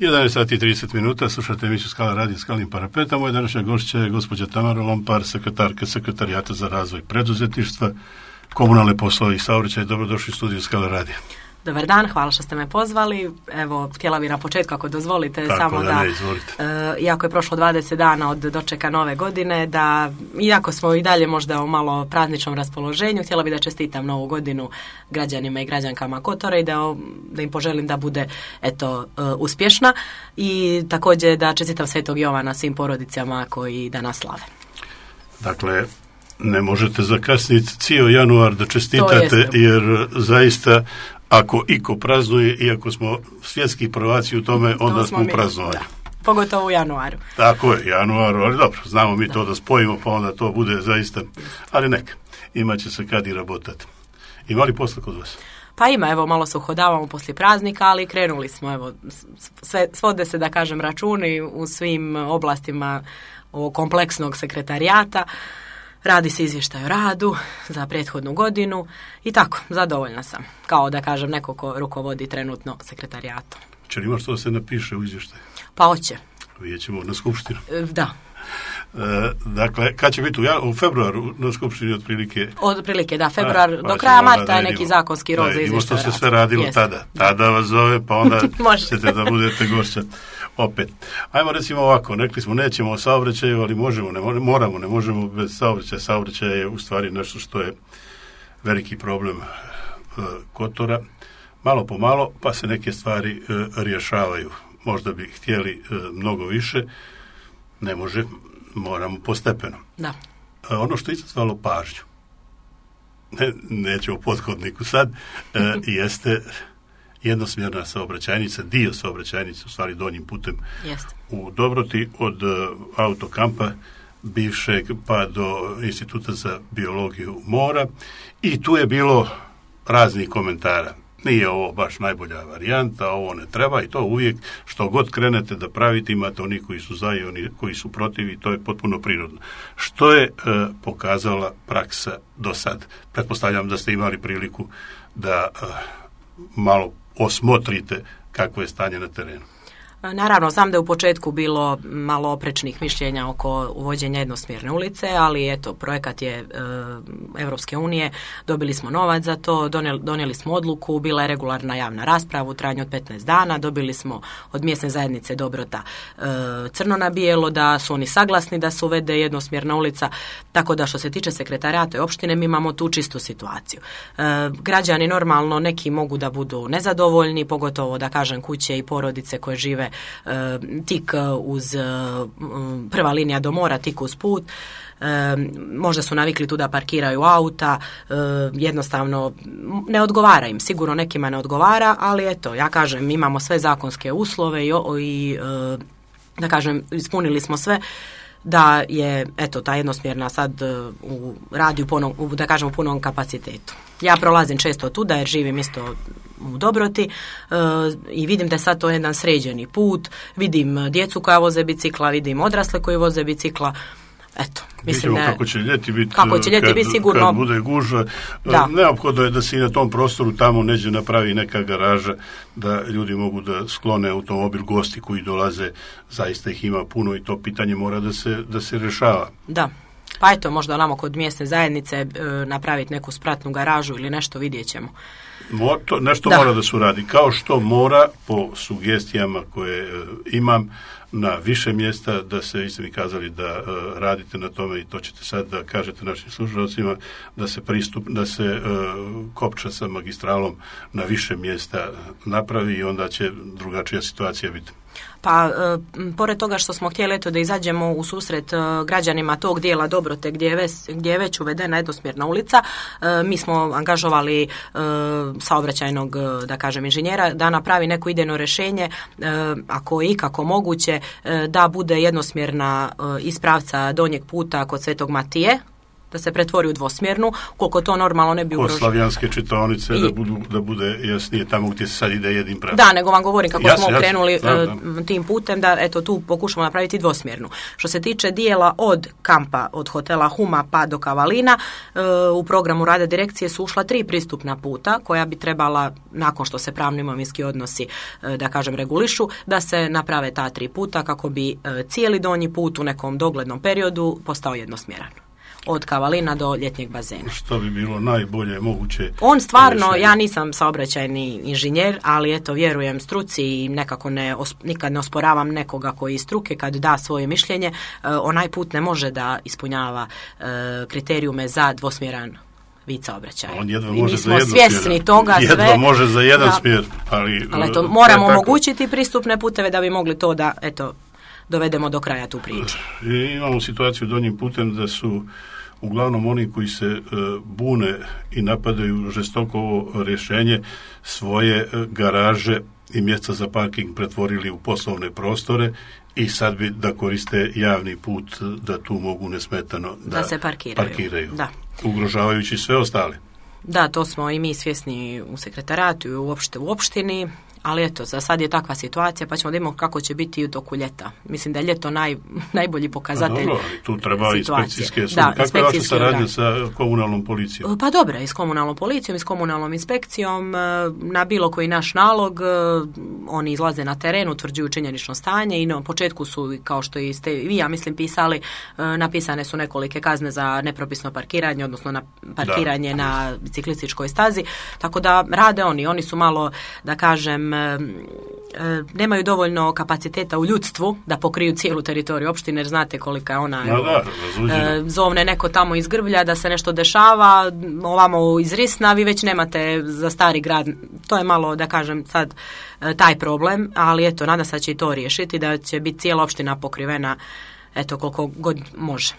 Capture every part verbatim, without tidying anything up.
jedanaest sati i trideset minuta, slušate emisiju Skala radio Skalnim parapetom. Moja današnja gošća je gospođa Tamara Lompar, sekretarka Sekretarijata za razvoj preduzetništva, komunalne poslove i saobraćaj. Dobrodošli u studiju Skala radio. Dobar dan, hvala što ste me pozvali. Evo, htjela bih na početku, ako dozvolite, Tako samo da, da, ne, izvolite. E, iako je prošlo dvadeset dana od dočeka nove godine, da, iako smo i dalje možda u malo prazničnom raspoloženju, htjela bih da čestitam novu godinu građanima i građankama Kotora i da, da im poželim da bude, eto, e, uspješna i također da čestitam Svetog Jovana svim porodicama koji danas slave. Dakle, ne možete zakasniti cijel januar da čestitate, jer zaista ako iko praznuje, iako smo svjetski prvaci u tome, onda to smo, smo praznovali. Pogotovo u januaru. Tako je, januaru, ali dobro, znamo mi da. to da spojimo, pa onda to bude zaista, ali neka, imat će se kad i rabotati. Ima li posla kod vas? Pa ima, evo, malo se uhodavamo poslije praznika, ali krenuli smo, evo, sve, svode se, da kažem, računi u svim oblastima ovog kompleksnog sekretarijata. Radi se izvještaj o radu za prethodnu godinu i tako, zadovoljna sam. Kao da kažem neko ko rukovodi trenutno sekretarijatom. Če li ima što se napiše u izvještaju? Pa hoće. Vidjet ćemo na skupštinu. Da. E, dakle, kad će biti u, u februaru na skupštini otprilike? Otprilike, da, februar, A, do kraja marta je neki zakonski rok za izvještaj o radu. Što se sve radilo Jest. tada. Tada vas zove, pa onda ćete da budete gošća. Opet. Ajmo recimo ovako, rekli smo nećemo o saobraćaju, ali možemo, ne moramo, ne možemo bez saobraćaja. Saobraćaj je u stvari nešto što je veliki problem e, Kotora. Malo po malo, pa se neke stvari e, rješavaju. Možda bi htjeli e, mnogo više, ne može, moramo postepeno. Da. E, ono što je izazvalo pažnju, ne, neću o pothodniku sad, e, jeste jednosmjerna saobraćajnica, dio saobraćajnice, u stvari donjim putem Jest. u Dobroti, od uh, autokampa bivšeg pa do Instituta za biologiju mora, i tu je bilo raznih komentara. Nije ovo baš najbolja varijanta, ovo ne treba, i to uvijek što god krenete da pravite, imate oni koji su za i oni koji su protiv, i to je potpuno prirodno. Što je uh, pokazala praksa do sad? Pretpostavljam da ste imali priliku da uh, malo osmotrite kakvo je stanje na terenu. Naravno, znam da je u početku bilo malo oprečnih mišljenja oko uvođenja jednosmjerne ulice, ali eto, projekat je e, Europske unije, dobili smo novac za to, donijeli, donijeli smo odluku, bila je regularna javna rasprava u trajanju od petnaest dana, dobili smo od mjesne zajednice Dobrota e, crno na bijelo da su oni saglasni da se uvede jednosmjerna ulica, tako da što se tiče sekretarijata i opštine, mi imamo tu čistu situaciju. E, građani normalno neki mogu da budu nezadovoljni, pogotovo da kažem kuće i porodice koje žive tik uz prva linija do mora, tik uz put. Možda su navikli tu da parkiraju auta, jednostavno ne odgovara im, sigurno nekima ne odgovara, ali eto, ja kažem, imamo sve zakonske uslove i, i da kažem, ispunili smo sve da je, eto, ta jednosmjerna sad u, radi u, punom, u, da kažem, u punom kapacitetu. Ja prolazim često tuda jer živim isto u Dobroti e, i vidim da je sad to jedan sređeni put, vidim djecu koja voze bicikla, vidim odrasle koji voze bicikla. Eto, mislim da kako će ljeti biti, kako će ljeti kad, biti sigurno, kad bude gužva. Neophodno je da se i na tom prostoru tamo neđe napravi neka garaža da ljudi mogu da sklone automobil, gosti koji dolaze, zaista ih ima puno i to pitanje mora da se, da se rješava. Da. Pa eto, možda onamo kod mjesne zajednice e, napraviti neku spratnu garažu ili nešto, vidjet ćemo. Mo, to, nešto da. mora da se uradi, kao što mora po sugestijama koje e, imam na više mjesta, da se, vi ste mi kazali da e, radite na tome i to ćete sad da kažete našim slušalcima, da se pristup, da se e, kopča sa magistralom na više mjesta napravi i onda će drugačija situacija biti. Pa, e, pored toga što smo htjeli eto da izađemo u susret e, građanima tog dijela Dobrote gdje je, već, gdje je već uvedena jednosmjerna ulica, e, mi smo angažovali e, saobraćajnog, da kažem, inženjera da napravi neko idejno rješenje, e, ako je ikako moguće, e, da bude jednosmjerna e, iz pravca donjeg puta kod Svetog Matije da se pretvori u dvosmjernu, koliko to normalno ne bi ugrožilo. Kod slavijanske čitaonice I, da, budu, da bude jasnije tamo gdje se sad ide jednim pravcem. Da, nego vam govorim kako jasne, smo jasne, krenuli da, da. tim putem, da eto tu pokušamo napraviti dvosmjernu. Što se tiče dijela od kampa, od hotela Huma pa do Kavalina, u programu rada direkcije su ušla tri pristupna puta koja bi trebala, nakon što se pravno imovinski odnosi, da kažem, regulišu, da se naprave ta tri puta kako bi cijeli donji put u nekom doglednom periodu postao jednosmjeran. Od Kavalina do ljetnjeg bazena. Što bi bilo najbolje moguće? On stvarno, rješenje. Ja nisam saobraćajni inženjer, ali eto, vjerujem struci i nekako ne, nikad ne osporavam nekoga koji iz struke kad da svoje mišljenje, uh, onaj put ne može da ispunjava uh, kriterijume za dvosmjeran vid saobraćaja. On jedva I može mi za smo jedno svjesni smjer. toga jedva sve. može za jedan da, smjer, ali... ali eto, moramo omogućiti pristupne puteve da bi mogli to da, eto, dovedemo do kraja tu priču. I imamo situaciju donjim putem da su uglavnom oni koji se e, bune i napadaju žestoko ovo rješenje svoje e, garaže i mjesta za parking pretvorili u poslovne prostore i sad bi da koriste javni put da tu mogu nesmetano da, da se parkiraju, parkiraju da. ugrožavajući sve ostale. Da, to smo i mi svjesni u sekretaratu i uopšte u opštini, ali eto, za sad je takva situacija, pa ćemo da imamo kako će biti u toku ljeta. Mislim da je ljeto naj, najbolji pokazatelj. Dobro, tu treba situacije. Inspekcijske službe. Da, kakva je vaša saradnja organ. sa komunalnom policijom? Pa dobro, i s komunalnom policijom i s komunalnom inspekcijom. Na bilo koji naš nalog oni izlaze na teren, utvrđuju činjenično stanje i na početku su, kao što i ste vi, ja mislim, pisali, napisane su nekolike kazne za nepropisno parkiranje, odnosno na parkiranje da. na biciklističkoj stazi, tako da rade oni. Oni su malo, da kažem, nemaju dovoljno kapaciteta u ljudstvu da pokriju cijelu teritoriju opštine, jer znate kolika je ona. No, da, zovne neko tamo iz Grblja da se nešto dešava, ovamo iz Risna, vi već nemate za Stari grad. To je malo, da kažem, sad taj problem, ali eto, nadam se da će i to riješiti, da će biti cijela opština pokrivena, eto, koliko god može.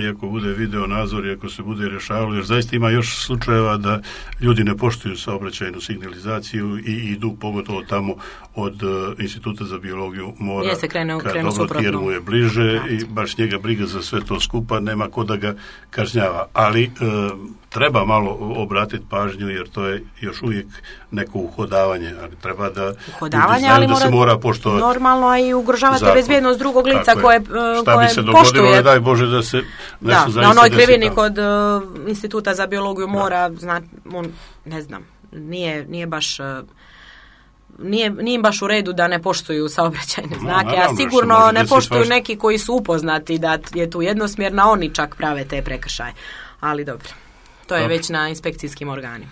Iako bude video nadzor i ako se bude rješavalo, jer zaista ima još slučajeva da ljudi ne poštuju saobraćajnu signalizaciju i idu pogotovo tamo od uh, Instituta za biologiju mora, Jeste, krenu, kad krenu dobro jer mu je bliže Prat. I baš njega briga za sve to skupa, nema ko da ga kažnjava. Ali uh, treba malo obratiti pažnju, jer to je još uvijek neko uhodavanje, ali treba da uhodavanje, ljudi znaju ali da se mora poštovati normalno, a i ugrožavate zakon. Bezbjednost drugog lica koje, Šta koje bi se dogodilo, poštuje. Daj Bože da se da, na onoj krivini kod uh, Instituta za biologiju mora, zna, on, ne znam, nije, nije baš... Uh, Nije, nije baš u redu da ne poštuju saobraćajne znake, no, a sigurno ne poštuju svašta. Neki koji su upoznati da je tu jednosmjerna, oni čak prave te prekršaje. Ali dobro, to je dobro. Već na inspekcijskim organima.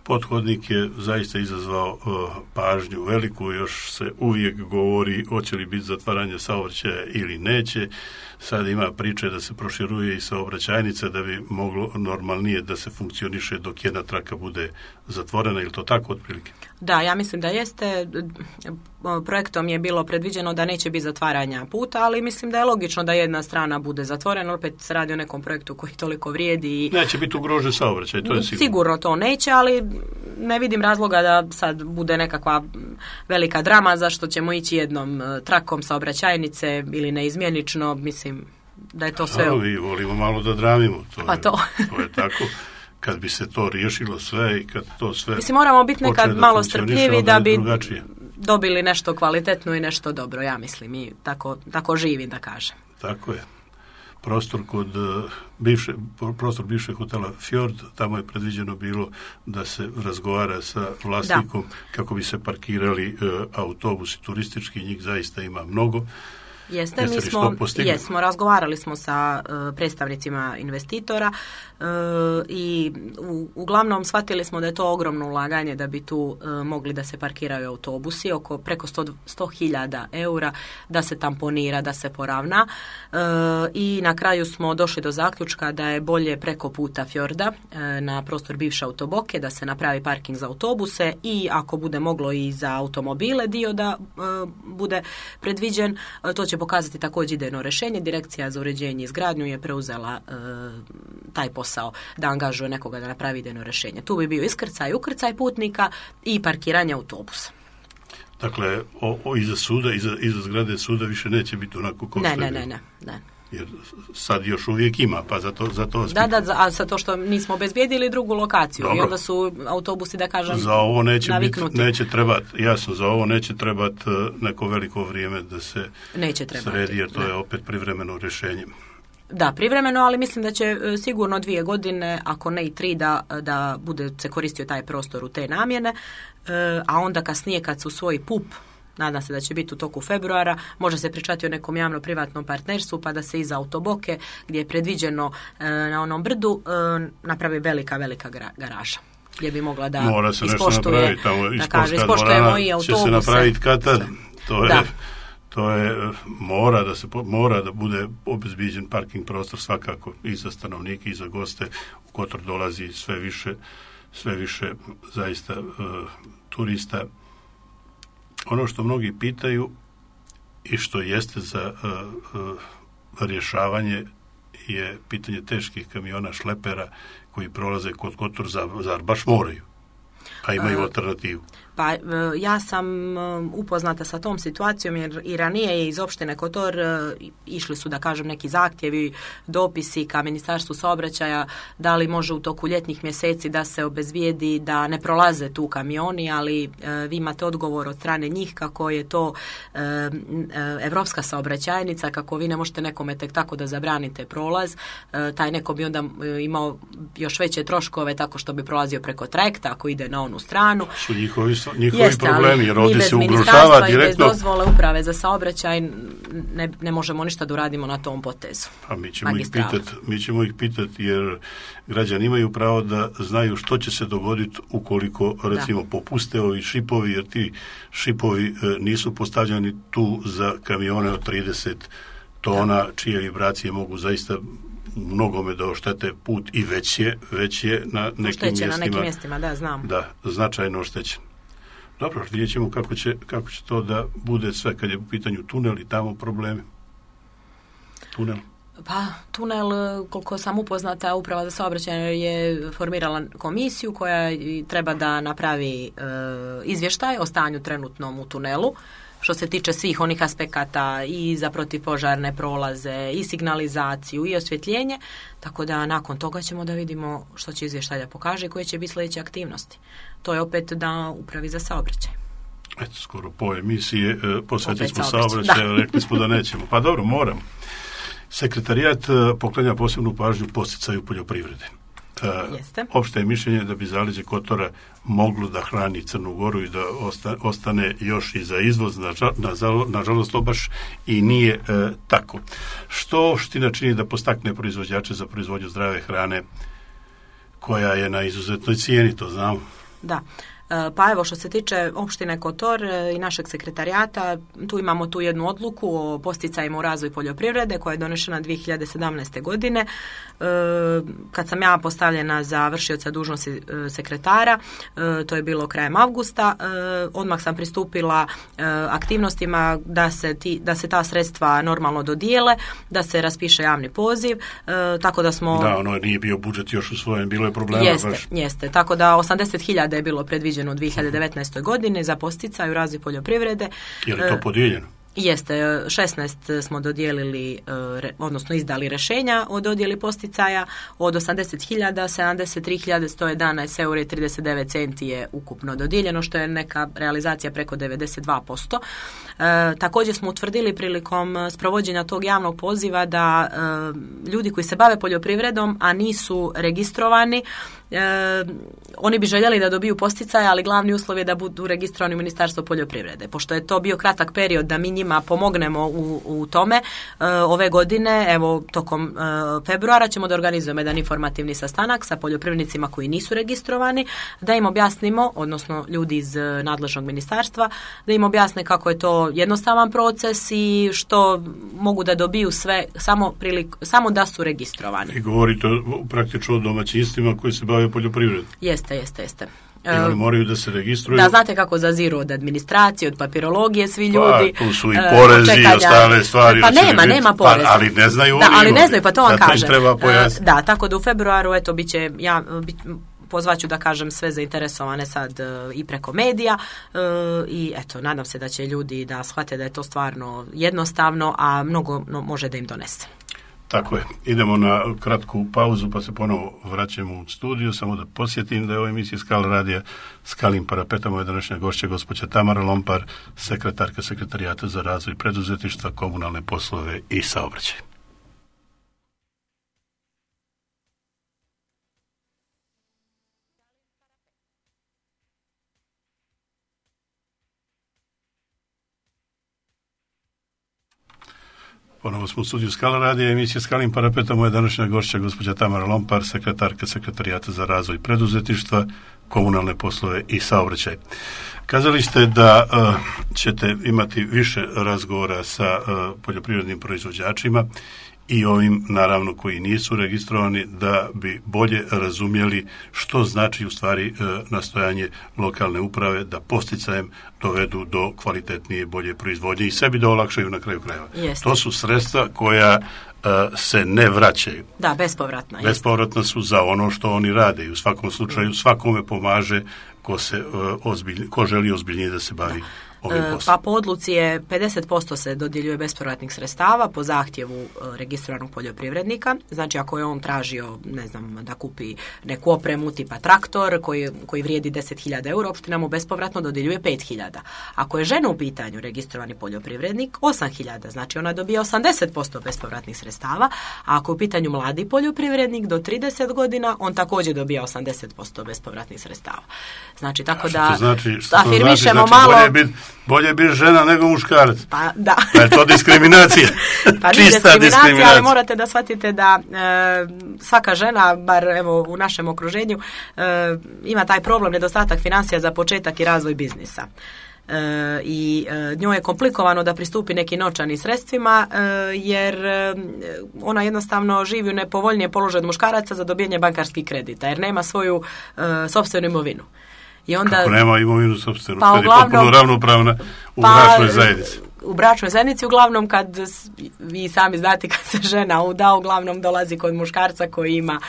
Pothodnik je zaista izazvao uh, pažnju veliku, još se uvijek govori hoće li biti zatvaranje saobraćaja ili neće. Sad ima priče da se proširuje i saobraćajnica da bi moglo normalnije da se funkcioniše dok jedna traka bude zatvorena, ili to tako otprilike? Da, ja mislim da jeste. Projektom je bilo predviđeno da neće biti zatvaranja puta, ali mislim da je logično da jedna strana bude zatvorena, opet se radi o nekom projektu koji toliko vrijedi. I neće biti ugrožen saobraćaj, to je sigurno. Sigurno to neće, ali ne vidim razloga da sad bude nekakva velika drama zašto ćemo ići jednom trakom saobraćajnice ili neizmjenično, mislim da je to sve... A, mi volimo malo da dramimo, to, pa je, to. to je tako. Kad bi se to riješilo sve i kad to sve... Mislim, moramo biti nekad malo strpljivi da bi drugačije. Dobili nešto kvalitetno i nešto dobro, ja mislim, i tako, tako živim, da kažem. Tako je. Prostor kod uh, bivše, prostor bivšeg hotela Fjord, tamo je predviđeno bilo da se razgovara sa vlasnikom da. Kako bi se parkirali uh, autobusi turistički, njih zaista ima mnogo. Jeste, mi smo, jesmo, razgovarali smo sa uh, predstavnicima investitora uh, i u, uglavnom shvatili smo da je to ogromno ulaganje da bi tu uh, mogli da se parkiraju autobusi, oko preko sto hiljada eura, da se tamponira, da se poravna uh, i na kraju smo došli do zaključka da je bolje preko puta Fjorda uh, na prostor bivše autoboke da se napravi parking za autobuse i ako bude moglo i za automobile dio da uh, bude predviđen, uh, to će pokazati također idejno rješenje. Direkcija za uređenje i izgradnju je preuzela e, taj posao da angažuje nekoga da napravi idejno rješenje. Tu bi bio iskrcaj, ukrcaj putnika i parkiranje autobusa. Dakle, o, o, iza suda, iza, iza zgrade suda više neće biti onako kao ne, ne, ne, ne, ne. jer sad još uvijek ima, pa zato, zato da, da, a za to što nismo obezbijedili drugu lokaciju. Dobro. I onda su autobusi, da kažem, za ovo neće naviknuti. Biti, neće trebati, jasno, za ovo neće trebati neko veliko vrijeme da se neće sredi, jer to ne. je opet privremeno rješenje. Da, privremeno, ali mislim da će sigurno dvije godine, ako ne i tri, da, da bude se koristio taj prostor u te namjene, a onda kasnije kad su svoji P U P, nadam se da će biti u toku februara, može se pričati o nekom javno-privatnom partnerstvu, pa da se iza autoboke, gdje je predviđeno na onom brdu, napravi velika, velika garaža, gdje bi mogla da mora se ispoštuje, nešto tamo, da kaže, ispoštujemo i autobuse. Će se napraviti katad, to je... Da. To je, mora da se mora da bude obezbiđen parking prostor svakako i za stanovnike i za goste. U Kotor dolazi sve više, sve više zaista uh, turista. Ono što mnogi pitaju i što jeste za uh, uh, rješavanje je pitanje teških kamiona šlepera koji prolaze kod Kotor, zar baš moraju, a imaju uh. alternativu. Pa ja sam upoznata sa tom situacijom jer i ranije je iz opštine Kotor išli su, da kažem, neki zahtjevi, dopisi ka Ministarstvu saobraćaja da li može u toku ljetnih mjeseci da se obezbijedi da ne prolaze tu kamioni, ali vi imate odgovor od strane njih kako je to evropska saobraćajnica, kako vi ne možete nekome tek tako da zabranite prolaz. Taj neko bi onda imao još veće troškove tako što bi prolazio preko trajekta ako ide na onu stranu. Su njihovi njihovi Jeste, problemi, jer ovdje se ugrožava direktno. I direktno. bez dozvole uprave za saobraćaj ne, ne možemo ništa da uradimo na tom potezu. Pa mi ćemo ih pitati, mi ćemo ih pitati jer građani imaju pravo da znaju što će se dogoditi ukoliko recimo da. popuste ovi šipovi, jer ti šipovi e, nisu postavljeni tu za kamione od trideset tona, da. čije vibracije mogu zaista mnogome da oštete put i već je, već je na nekim Oštećen, mjestima. na nekim mjestima, da, znam. Da, značajno oštećen. Dobro, vidjet ćemo kako će, kako će to da bude sve kad je u pitanju tunel i tamo problemi. Tunel. Pa, tunel, koliko sam upoznata, Uprava za saobraćaj je formirala komisiju koja treba da napravi e, izvještaj o stanju trenutnom u tunelu, što se tiče svih onih aspekata i za protivpožarne prolaze, i signalizaciju, i osvjetljenje, tako da nakon toga ćemo da vidimo što će izvještaj da pokaže i koje će biti sljedeće aktivnosti. To je opet da Upravi za saobraćaj. Eto, skoro po emisije e, posvetili smo saobraćaju, rekli smo da nećemo. Pa dobro, moram. Sekretarijat e, poklanja posebnu pažnju posticaju poljoprivrede. Jeste. Opšte je mišljenje da bi zaleđe Kotora moglo da hrani Crnu Goru i da osta, ostane još i za izvoz. Nažalost, to baš i nije e, tako. Što Ština čini da postakne proizvođače za proizvodnju zdrave hrane koja je na izuzetnoj cijeni, to znamo. Da. Pa evo, što se tiče opštine Kotor i našeg sekretarijata, tu imamo tu jednu odluku o posticajima u razvoju poljoprivrede koja je donešena dvije hiljade sedamnaeste. godine. Kad sam ja postavljena za vršioca dužnosti sekretara, to je bilo krajem avgusta, odmah sam pristupila aktivnostima da se, ti, da se ta sredstva normalno dodijele, da se raspiše javni poziv, tako da smo... Da, ono nije bio budžet još usvojen, bilo je problema. Jeste, baš. jeste, tako da osamdeset hiljada je bilo predviđeno u dvije hiljade devetnaestoj. godine za posticaj u razvoju poljoprivrede. Je li to podijeljeno? Jeste, šesnaest smo dodijelili, odnosno izdali rješenja o dodjeli posticaja, od osamdeset hiljada, sedamdeset tri hiljade sto jedanaest eura i trideset devet centi je ukupno dodijeljeno, što je neka realizacija preko devedeset dva posto. E, također smo utvrdili prilikom sprovođenja tog javnog poziva da e, ljudi koji se bave poljoprivredom, a nisu registrovani, E, oni bi željeli da dobiju posticaje, ali glavni uslov je da budu registrovani u Ministarstvu poljoprivrede. Pošto je to bio kratak period da mi njima pomognemo u, u tome, e, ove godine, evo tokom e, februara ćemo da organizujemo jedan informativni sastanak sa poljoprivrednicima koji nisu registrovani, da im objasnimo, odnosno ljudi iz nadležnog ministarstva, da im objasne kako je to jednostavan proces i što mogu da dobiju sve samo, prilik, samo da su registrovani. I govorite praktično o domaćinstvima koji se bave poljoprivredom. Jeste, jeste, jeste. I oni moraju da se registruju. Da, znate kako zaziru od administracije, od papirologije svi ljudi. Pa, tu su i porezi uh, i ostale stvari. Pa nema, nema poreza. Pa, ali ne znaju da, oni. ali ne znaju, pa to vam kažem. Treba pojasniti. Da, tako da u februaru, eto, bit će, ja bit, pozvaću da kažem sve zainteresovane sad uh, i preko medija uh, i eto, nadam se da će ljudi da shvate da je to stvarno jednostavno, a mnogo no, može da im donese. Tako je. Idemo na kratku pauzu pa se ponovo vraćamo u studiju. Samo da podsjetim da je u emisiji Skala radija Skalim parapeta moja današnja gošća gospođa Tamara Lompar, sekretarka Sekretarijata za razvoj preduzetništva, komunalne poslove i saobraćaj. Ponovo smo u studiju Skala radija, emisija Skalim parapeta, moja današnja gošća gospođa Tamara Lompar, sekretarka Sekretarijata za razvoj preduzetništva, komunalne poslove i saobraćaj. Kazali ste da uh, ćete imati više razgovora sa uh, poljoprivrednim proizvođačima i ovim, naravno, koji nisu registrovani, da bi bolje razumjeli što znači u stvari e, nastojanje lokalne uprave da posticajem dovedu do kvalitetnije, bolje proizvodnje i sebi da olakšaju na kraju krajeva. Jeste. To su sredstva koja e, se ne vraćaju. Da, bespovratna. Bespovratna su za ono što oni rade i u svakom slučaju svakome pomaže ko, se, e, ozbilj, ko želi ozbiljnije da se bavi. Pa po odluci je pedeset posto se dodjeljuje bespovratnih sredstava po zahtjevu registriranog poljoprivrednika. Znači ako je on tražio, ne znam, da kupi neku opremu tipa traktor koji, koji vrijedi deset hiljada eura, opština mu bespovratno dodjeljuje pet hiljada. Ako je žena u pitanju registrovani poljoprivrednik, osam hiljada, znači ona dobija osamdeset posto bespovratnih sredstava, a ako je u pitanju mladi poljoprivrednik do trideset godina, on također dobija osamdeset posto bespovratnih sredstava. Znači tako da što znači, što afirmišemo znači, malo... Bolje biti bolje biti žena nego muškarac. Pa da. Pa je to diskriminacija. Pa Čista diskriminacija, diskriminacija. Ali morate da shvatite da e, svaka žena, bar evo u našem okruženju, e, ima taj problem nedostatak financija za početak i razvoj biznisa. E, i e, njoj je komplikovano da pristupi nekim novčanim sredstvima e, jer e, ona jednostavno živi u nepovoljnije položaju od muškaraca za dobijanje bankarskih kredita jer nema svoju e, sopstvenu imovinu. I onda, kako nema imovinu sopstvenu, pa kad je potpuno ravnopravna u pa, bračnoj zajednici. U bračnoj zajednici uglavnom kad vi sami znate kad se žena uda, uglavnom dolazi kod muškarca koji ima,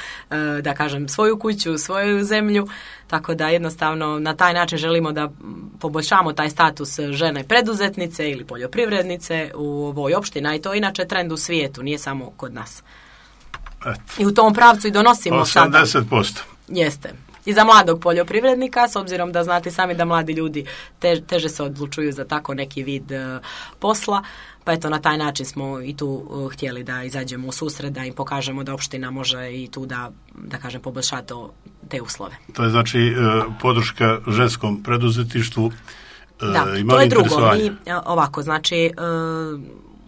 da kažem, svoju kuću, svoju zemlju, tako da jednostavno na taj način želimo da poboljšamo taj status žene preduzetnice ili poljoprivrednice u ovoj opštini, i to je inače trend u svijetu, nije samo kod nas. Eto. I u tom pravcu i donosimo osamdeset posto. sada. Jeste. I za mladog poljoprivrednika, s obzirom da znate sami da mladi ljudi te, teže se odlučuju za tako neki vid uh, posla, pa eto na taj način smo i tu uh, htjeli da izađemo u susret, da im pokažemo da opština može i tu da, da kažem, poboljšati to, te uslove. To je znači uh, podrška ženskom preduzetništvu. Uh, da, to je drugo. Mi, ovako, znači... Uh,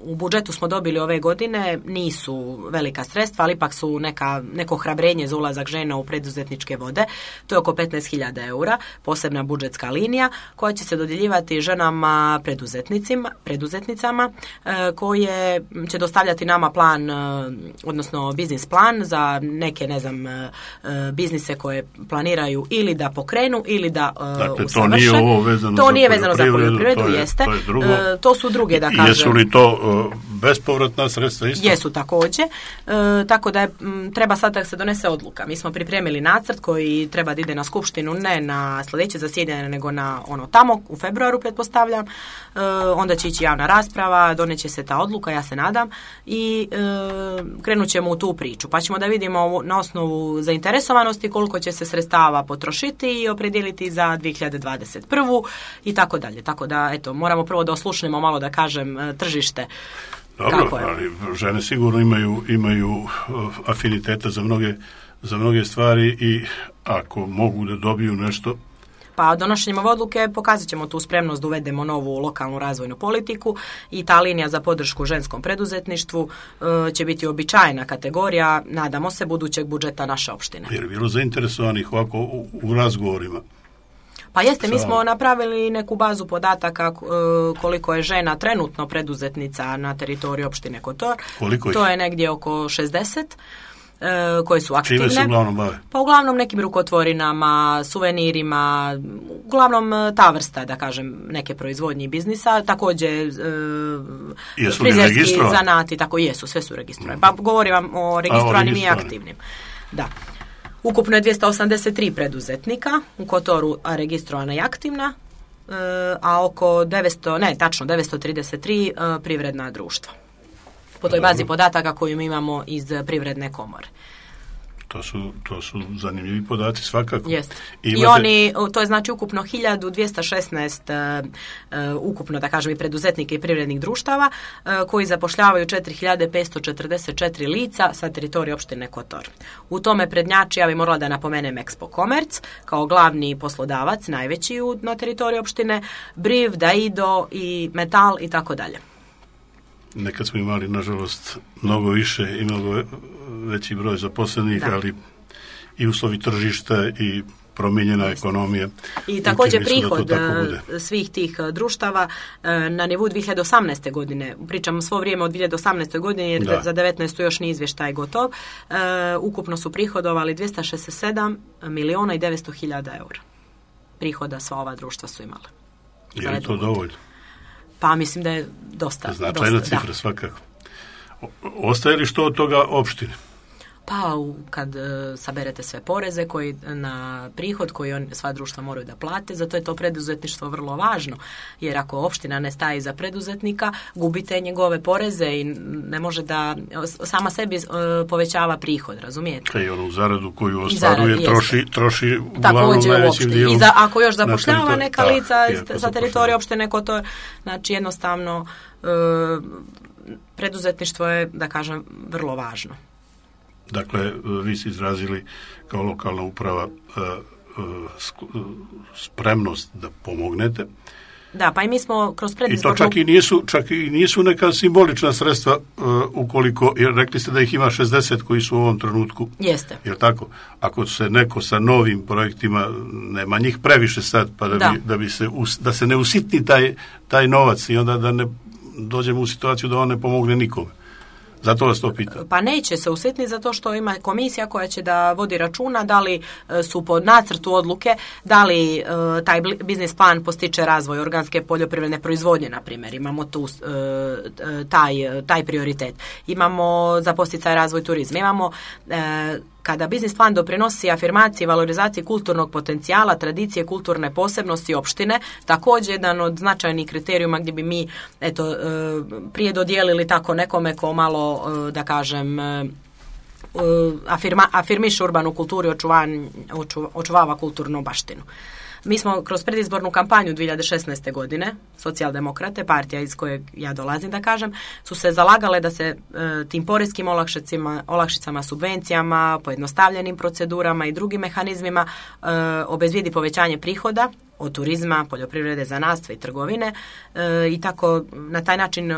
U budžetu smo dobili ove godine, nisu velika sredstva, ali ipak su neka, neko hrabrenje za ulazak žena u preduzetničke vode. To je oko petnaest hiljada eura, posebna budžetska linija koja će se dodjeljivati ženama preduzetnicima, preduzetnicama e, koje će dostavljati nama plan, e, odnosno biznis plan za neke, ne znam, e, biznise koje planiraju ili da pokrenu ili da e, dakle, usavrše. To nije ovo vezano to za nije vezano za poljoprivredu, to je, jeste. To, je drugo. E, to su druge, da kažem. Jesu li to bespovratna sredstva isto? Jesu također, e, tako da je, m, treba sad da se donese odluka. Mi smo pripremili nacrt koji treba da ide na skupštinu, ne na sljedeće zasjedanje, nego na ono tamo, u februaru pretpostavljam, e, onda će ići javna rasprava, doneće se ta odluka, ja se nadam, i e, krenut ćemo u tu priču, pa ćemo da vidimo na osnovu zainteresovanosti koliko će se sredstava potrošiti i opredijeliti za dvije hiljade dvadeset prvu i tako dalje. Tako da, eto, moramo prvo da oslušnemo malo, da kažem, tržište. Dobro, ali žene sigurno imaju, imaju uh, afiniteta za mnoge, za mnoge stvari i ako mogu da dobiju nešto. Pa donošenjem ove odluke pokazat ćemo tu spremnost da uvedemo novu lokalnu razvojnu politiku i ta linija za podršku ženskom preduzetništvu uh, će biti običajna kategorija, nadamo se, budućeg budžeta naše opštine. Jer je bilo zainteresovanih ovako u, u razgovorima. Pa jeste, mi smo napravili neku bazu podataka koliko je žena trenutno preduzetnica na teritoriju opštine Kotor. Koliko ih? To je negdje oko šezdeset koje su aktivne. Čime se uglavnom bave? Pa uglavnom nekim rukotvorinama, suvenirima, uglavnom ta vrsta, da kažem, neke proizvodnje i biznisa, također e, frizerski zanati, tako jesu, sve su registrovani. Pa govorim vam o registrovanim i aktivnim. Da. Ukupno je dvjesto osamdeset tri preduzetnika u Kotoru, a registrovana i aktivna, a oko devetsto, ne, tačno devetsto trideset tri privredna društva. po toj bazi podataka koju mi imamo iz Privredne komore. To su, to su zanimljivi podaci svakako. Jest. Imate... I oni, to je znači ukupno hiljadu dvjesto šesnaest uh, uh, ukupno, da kažem, i preduzetnika i privrednih društava uh, koji zapošljavaju četiri hiljade petsto četrdeset četiri lica sa teritorija opštine Kotor. U tome prednjači, ja bih morala da napomenem Expo Commerce kao glavni poslodavac, najveći u, na teritoriji opštine, Briv, Daido i Metal i tako dalje. Nekad smo imali, nažalost, mnogo više i mnogo veći broj zaposlenih, da. Ali i uslovi tržišta i promijenjena ekonomija. I također prihod svih tih društava na nivou dvije hiljade osamnaeste. godine, pričamo svo vrijeme od dvije hiljade osamnaeste. godine jer da. Za devetnaestu još nije izvještaj gotov, uh, ukupno su prihodovali dvjesto šezdeset sedam milijuna i devetsto hiljada eura. Prihoda sva ova društva su imala. Je li to dovoljno? Pa mislim da je dosta. Značajna cifra, da. Svakako. Ostaje li što od toga opštine? Pa kad uh, saberete sve poreze koji na prihod koji on, sva društva moraju da plate, zato je to preduzetništvo vrlo važno, jer ako opština ne staje za preduzetnika, gubite njegove poreze i ne može da sama sebi uh, povećava prihod, razumijete? I onu zaradu koju ostvaruje troši, troši uglavnom najvećim dijelom. I za, ako još zapošljava na neka lica da, sa teritorija opštine Kotor, znači jednostavno uh, preduzetništvo je, da kažem, vrlo važno. Dakle, vi ste izrazili kao lokalna uprava spremnost da pomognete. Da, pa i mi smo kroz predizbornu... I to čak i nisu, čak i nisu neka simbolična sredstva ukoliko, jer rekli ste da ih ima šezdeset koji su u ovom trenutku. Jeste. Jer tako, ako se neko sa novim projektima, nema njih previše sad, pa da, da. Bi, da, bi se, da se ne usitni taj, taj novac i onda da ne dođemo u situaciju da on ne pomogne nikome. Zato vas to pitam. Pa neće se usitniti zato što ima komisija koja će da vodi računa da li su po nacrtu odluke, da li uh, taj biznis plan postiče razvoj organske poljoprivredne proizvodnje, na primjer. Imamo tu uh, taj, taj prioritet. Imamo za podsticaj razvoj turizma. Imamo uh, kada biznis plan doprinosi afirmaciji i valorizaciji kulturnog potencijala, tradicije, kulturne posebnosti opštine, također jedan od značajnih kriterijuma gdje bi mi eto, prije dodijelili tako nekome ko malo, da kažem, afirma, afirmiše urbanu kulturu i očuvan, očuva, očuvava kulturnu baštinu. Mi smo kroz predizbornu kampanju dvije hiljade šesnaeste. godine, socijaldemokrate, partija iz kojeg ja dolazim, da kažem, su se zalagale da se e, tim porezkim olakšicama, olakšicama, subvencijama, pojednostavljenim procedurama i drugim mehanizmima e, obezbijedi povećanje prihoda od turizma, poljoprivrede, zanatstva i trgovine e, i tako na taj način e,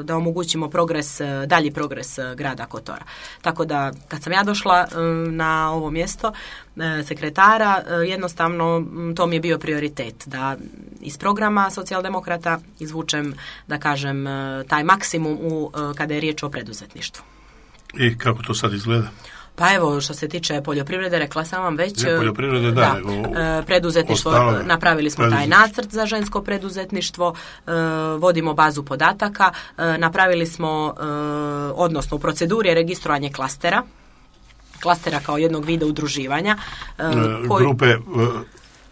da omogućimo progres, dalji progres grada Kotora. Tako da kad sam ja došla e, na ovo mjesto e, sekretara, e, jednostavno to mi je bio prioritet da iz programa socijaldemokrata izvučem, da kažem, e, taj maksimum u, e, kada je riječ o preduzetništvu. I kako to sad izgleda? Pa evo, što se tiče poljoprivrede, rekla sam vam već, ne, poljoprivrede, da, da nego preduzetništvo, ostale, napravili smo taj nacrt za žensko preduzetništvo, e, vodimo bazu podataka, e, napravili smo, e, odnosno u proceduri je registrovanje klastera, klastera kao jednog vida udruživanja. E, koji, grupe, e,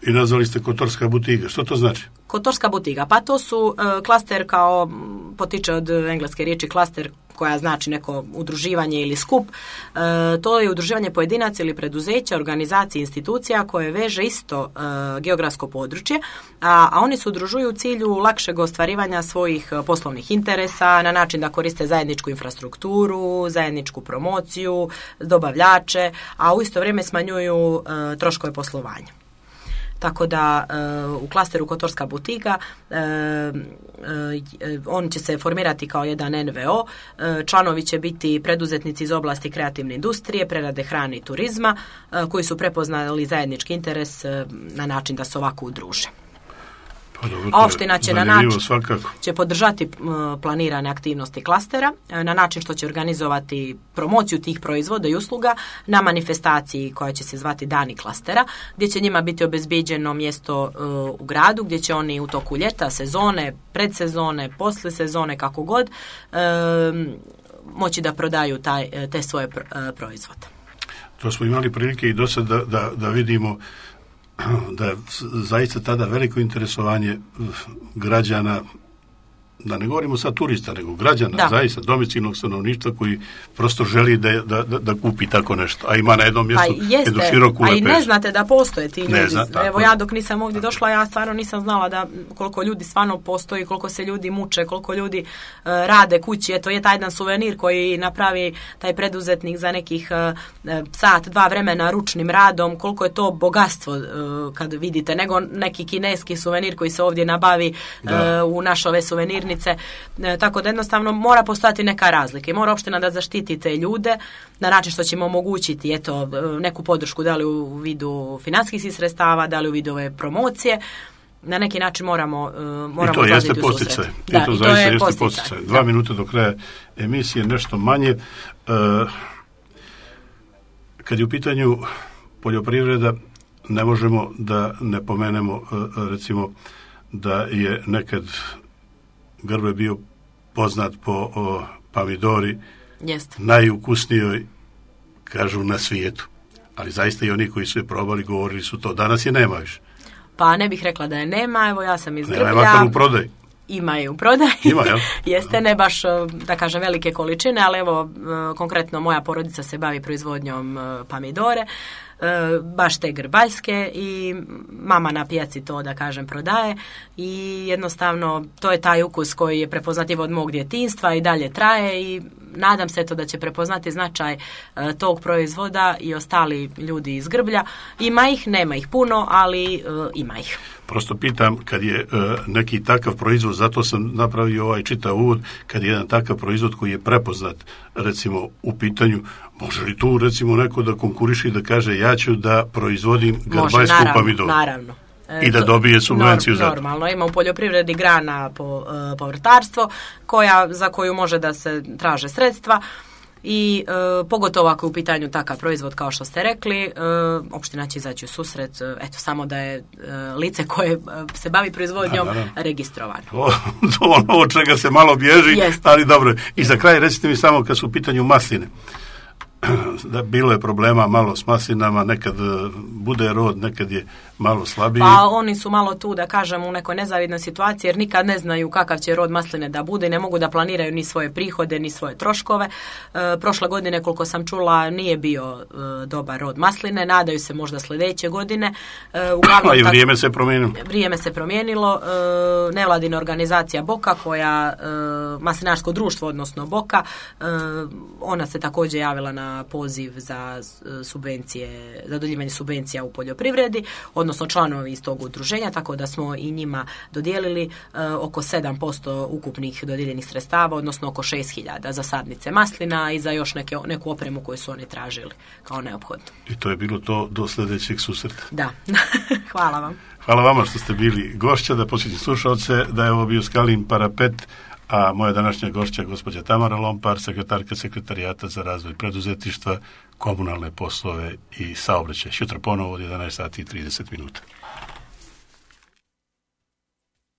i nazvali ste Kotorska butiga, što to znači? Kotorska butiga, pa to su e, klaster kao, potiče od engleske riječi klaster, koja znači neko udruživanje ili skup, e, to je udruživanje pojedinaca ili preduzeća, organizacija, institucija koje veže isto e, geografsko područje, a, a oni se udružuju u cilju lakšeg ostvarivanja svojih poslovnih interesa na način da koriste zajedničku infrastrukturu, zajedničku promociju, dobavljače, a u isto vrijeme smanjuju e, troškove poslovanja. Tako da uh, u klasteru Kotorska butika uh, uh, on će se formirati kao jedan en ve o, uh, članovi će biti preduzetnici iz oblasti kreativne industrije, prerade hrane i turizma, uh, koji su prepoznali zajednički interes uh, na način da se ovako udruže. Pa dobro, a opština će na način svakako. će podržati uh, planirane aktivnosti klastera uh, na način što će organizovati promociju tih proizvoda i usluga na manifestaciji koja će se zvati Dani klastera, gdje će njima biti obezbijeđeno mjesto uh, u gradu, gdje će oni u toku ljeta, sezone, predsezone, posle sezone, kako god, uh, moći da prodaju taj, te svoje uh, proizvode. To smo imali prilike i do sad da, da, da vidimo da je zaista tada veliko interesovanje građana da ne govorimo sad turista, nego građana, da. zaista domicilnog stanovništva koji prosto želi da, da, da, da kupi tako nešto, a ima na jednom mjestu pa jeste, jednu široku lepezu. A i ne znate da postoje ti ljudi. Zna, Evo ja dok nisam ovdje došla, ja stvarno nisam znala da koliko ljudi stvarno postoji, koliko se ljudi muče, koliko ljudi uh, rade kući. Eto je taj jedan suvenir koji napravi taj preduzetnik za nekih uh, sat, dva vremena ručnim radom, koliko je to bogatstvo uh, kad vidite, nego neki kineski suvenir koji se ovdje nabavi uh, u naše ove suvenirnice. Uh, tako da jednostavno mora postojati neka razlika i mora opština da zaštiti te ljude na način što ćemo omogućiti eto, neku podršku, da li u vidu financijskih sredstava, da li u vidu ove promocije. Na neki način moramo uh, moramo I to jeste posticaj. I to zaista jeste posticaj. Dva minuta do kraja emisije, nešto manje. Uh, kad je u pitanju poljoprivreda, ne možemo da ne pomenemo uh, recimo da je nekad Grbe bio poznat po o, pomidori Jest. najukusnijoj, kažu, na svijetu. Ali zaista i oni koji su je probali govorili su to. Danas je nema više. Pa ne bih rekla da je nema, evo ja sam iz Grblja. Nema je makar u prodaj. Ima je u prodaji. Ima, jel? Jeste, ne baš, da kažem, velike količine, ali evo, konkretno moja porodica se bavi proizvodnjom pomidore, baš te grbaljske i mama na pijaci to, da kažem, prodaje i jednostavno to je taj ukus koji je prepoznatljiv od mog djetinjstva i dalje traje i nadam se to da će prepoznati značaj uh, tog proizvoda i ostali ljudi iz Grblja. Ima ih, nema ih puno, ali uh, ima ih. Prosto pitam, kad je uh, neki takav proizvod, zato sam napravio ovaj čitav uvod, kad je jedan takav proizvod koji je prepoznat, recimo, u pitanju, može li tu, recimo, neko da konkuriše i da kaže ja ću da proizvodim grbaljsku pomidoru? Naravno. I da dobije subvenciju Norm, za to. Normalno, ima u poljoprivredi grana po, uh, povrtarstvo koja, za koju može da se traže sredstva i uh, pogotovo ako je u pitanju takav proizvod kao što ste rekli, uh, opština će izaći u susret, uh, eto samo da je uh, lice koje uh, se bavi proizvodnjom da, da, da. registrovano. To, to ono od čega se malo bježi, Jest. ali dobro. I za kraj recite mi samo kad su u pitanju masline. Da bilo je problema malo s maslinama, nekad bude rod, nekad je malo slabiji. Pa oni su malo tu, da kažem, u nekoj nezavidnoj situaciji jer nikad ne znaju kakav će rod masline da bude, ne mogu da planiraju ni svoje prihode, ni svoje troškove. E, prošle godine, koliko sam čula, nije bio e, dobar rod masline, nadaju se možda sljedeće godine. E, uglavnom, A i vrijeme se promijenilo. Vrijeme se promijenilo. E, nevladina organizacija Boka, koja, e, maslinarsko društvo, odnosno Boka, e, ona se također javila na poziv za subvencije, za dodjeljivanje subvencija u poljoprivredi, odnosno članovi iz tog udruženja, tako da smo i njima dodijelili uh, oko sedam posto ukupnih dodijeljenih sredstava, odnosno oko šest hiljada za sadnice maslina i za još neke, neku opremu koju su oni tražili kao neophodno. I to je bilo to do sljedećeg susreta. Da, hvala vam. Hvala vama što ste bili gošća, da posjetim slušalce, da je ovo bio Skalin Parapet, a moja današnja gošća je gospođa Tamara Lompar, sekretarka Sekretarijata za razvoj preduzetništva, komunalne poslove i saobraćaj. Jutro ponovo od jedanaest sati i trideset minuta.